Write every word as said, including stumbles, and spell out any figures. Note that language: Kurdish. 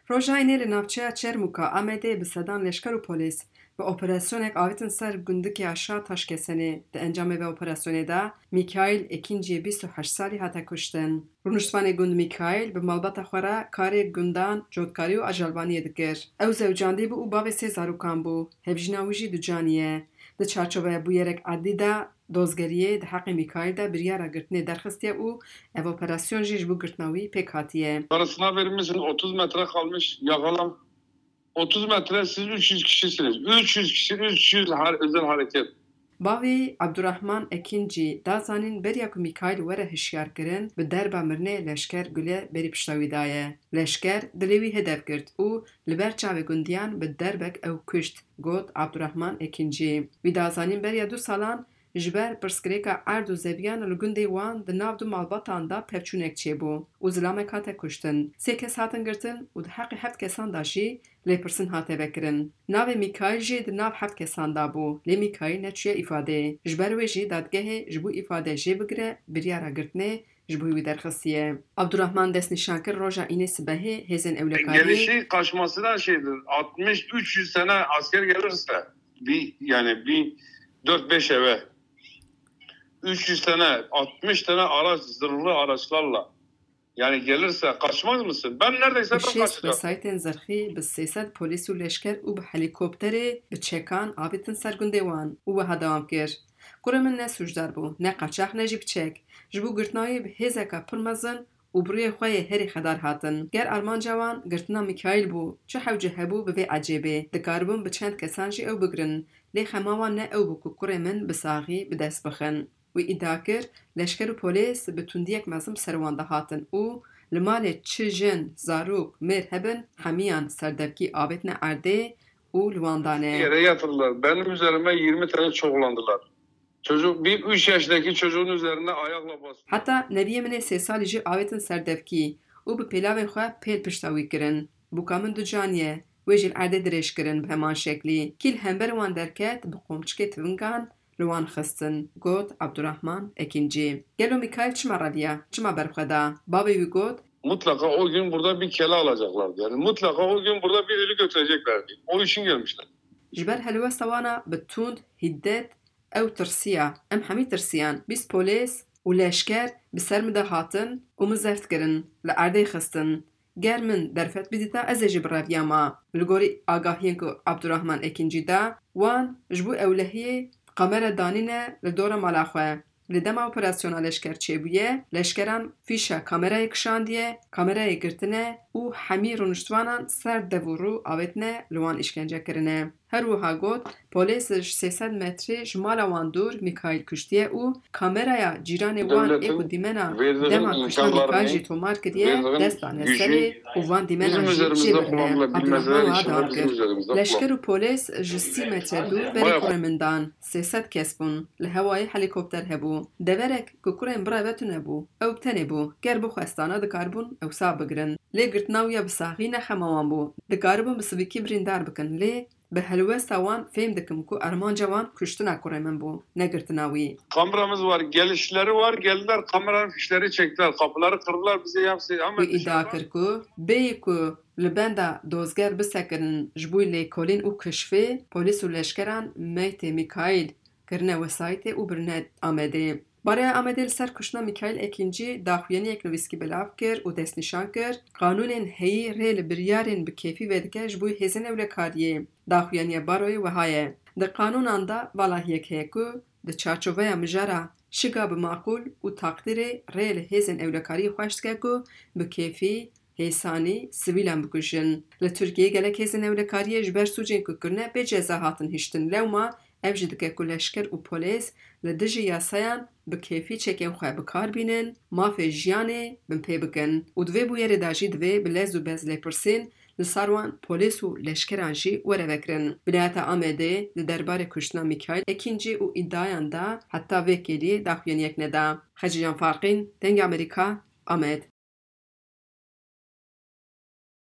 Roja Înê li navçeya Çermûka Amedê bi sedan leşker û polîs bi operasyonek avêtin ser gundikê aşa Taşkesenê. Di encamê vê operasyonê de Mîkaîl Ekînciyê bîst û heşt salî hate kuştin. Rûniştvanê gund Mîkaîl bi malbata xwe re karê gundan cotkarî û ajalvaniyê dikir. Ew zewcandî bû û bavê sê zarokan bû. Hevjîna wî jî ducanî ye. Di çarçoveya bûyerek edlî de dozgeriyê di heqê Mîkaîl de biryara girtinê derxistiye û ev operasyon jî ji bo girtina wî pêk hatiye. Parasına vermişsin, otuz metre kalmış, yakala. Otuz metre, siz üç yüz kişisiniz. Üç yüz kişi, üç yüz har-, özel hareket. Bavê Abdurrahman Ekincî da zanîn beriya ku Mîkaîl were hişyarkirin, bi derba mirinê leşker gule berî pişta wî daye. Leşker dilê wî hedef girt û li ber çavê gundiyan bi derbek ew kuşt, got Abdurrahman Ekincî. Wî da zanîn beriya du salan ji ber pirsgirêka erd û zeviyan li gundê wan di nav du malbatan de pevçûnek çêbû û zilamek hate kuştin. Sê kes hatin girtin û di heqê heft kesan de jî lêpirsîn hate vekirin. Navê Mîkaîl jî di nav heft kesan de bû, lê Mîkaîl neçûye îfadeyê. Ji ber wê jî dadgehê ji bo îfade jê bigire biryara girtinê ji bo wî derxistiye. Abdurrahman destnîşan kir, roja Înê sibehê hêzên ewlekariyê Gelişi kaçmasına şeydir. Altmış, üç yüz tane asker gelirse, bir, yani bir dört beş eve, üç yüz tane, altmış tane araç, zırhlı araçlarla, yani gelirse kaçmaz mısın? Ben neredeyse Bi ben şêst kaçacağım. Wesaytên zirxî bi sê sed polîs û leşker û bi helîkopterê bi çekan avêtin ser gundê wan û wiha dewam kir, Kurê min ne sûcdar bû, ne qaçax, ne jî bi çek. Ji bo girtina wî bi hêzeka pir mezin û bi rûyê xwe yê herî xedar hatin. Ger armanca wan girtina Mîkaîl bû, çi hewce hebû bi vê ecêbê? Dikaribûn bi çend kesan jî ew bigirin, lê xema wan ne ew bû ku kurê min bi saxî bi dest bixin. Wî îdia kir, leşker û polîs bi tundiyek mezin bi ser wan de hatin û li malê çi jin, zarok, mêr hebin, hemiyan serdevkî avêtine erdê û li wan dane. Yere yatırdılar. Benim üzerime yirmi tane çoklandılar. Çocuk, bir üç yaşındaki çocuğun üzerine ayakla bastı. Heta neviyê min ê sê salî jî avêtin ser devkî û bi pêlavên xwe pêl pişta wî kirin. Bûka min du canî ye. Wê jî li erdê dirêj kirin bi heman şeklî. Kî li hember wan derket, bi qomçikê tivingan li wan xistin, got Abdurrahman Ekincî. Gelo Mîkaîl çima reviya? Çima berxwe da? Bavê wî got, Mutlaka o gün burada bir kele alacaklardı. Yani mutlaka o gün burada bir ölü götüreceklerdi. O için gelmişler. Ji ber helwesta wana bi tund, hiddet, ew tirsiya. Em hemî tirsiyan. Bîst polîs û leşker bi ser min de hatin û min zeft kirin, li erdê xistin. Ger min derfet bidîta, ez ê jî bireviyama. Li gorî agahiyên ku Abdurrahman Ekincî da, wan ji bo ewlehiyê kamera danîne li dora mala xwe. Li dema operasyona leşker çêbûye, leşkeran fîşa kamerayê kişandiye, kamerayê girtine û hemî rûniştvanan ser dev û rû avêtine, li wan îşkence kirine. Her wiha got, polîs ji sê sed metrî ji mala wan dûr Mîkaîl kuştiye û kameraya cîranê wan ê ku dîmena dema kuştina Mîkaîl jî tomar kiriye, dest dane serê û van dîmenan jî jê birine. Abdurrahman wiha dewam kir, Leşker û polîs ji sî metre dûr berê kurê min dan. Sê sed kes bûn. Li hewayê helîkopter hebû. Deverek ku kurên bireve tune bû. Ew bi tenê bû. Ger bixwestana dikaribûn ew sax bigirin. Lê girtina wî ya bi saxî ne xema wan bû. Dikaribûn bi sivikî birîndar bikin, lê bi helwesta wan fêm dikim ku armanca wan kuştina kurê min bû, ne girtina wî. Kameramız var, gelişleri var, geldiler kameranın fişleri çektiler, kapıları kırdılar, bize hepsi hemen Wî îdia dışarıdan kir ku bêyî ku li benda dozger bisekirin ji bo lêkolîn û kişfê, polîs û leşkeran meytê Mîkaîl kirine wesayîtê û birine Amedê. Baroya Amedê li ser kuştina Mîkaîl Ekîncî daxuyaniyek nivîskî belav kir û destnîşan kir, qanûnên heyî rê li biryarên bi kêfî vedike ji bo hêzên ewlekariyê. Daxuyaniya baroyê wiha ye, Di qanûnan de valahiyek heye ku di çarçoveya mijara şiga bi maqûl û taqdîrê rê li hêzên ewlekariyê xweş dike ku bi kêfî, hêsanî sivîlan bikujin. Li Tirkiyeyê gelek hêzên ewlekariyê ji ber sûcên ku kirine bê ceza hatin hiştin. Lewma ev jî dike ku leşker û polîs li dijî yasayan bi kêfî çekên xwe bi kar bînin, mafê jiyanê binpê bikin û di vê bûyerê de jî divê bi lez û bez lêpirsîn li sar wan polîs û leşkeran jî were vekirin. Vilayeta Amedê di derbarê kuştina Mîkaîl Ekîncî û îdiayan de heta vê kêliyê daxuyaniyek neda. Xecîcan Farqîn, Dengê Amerîka, Amed.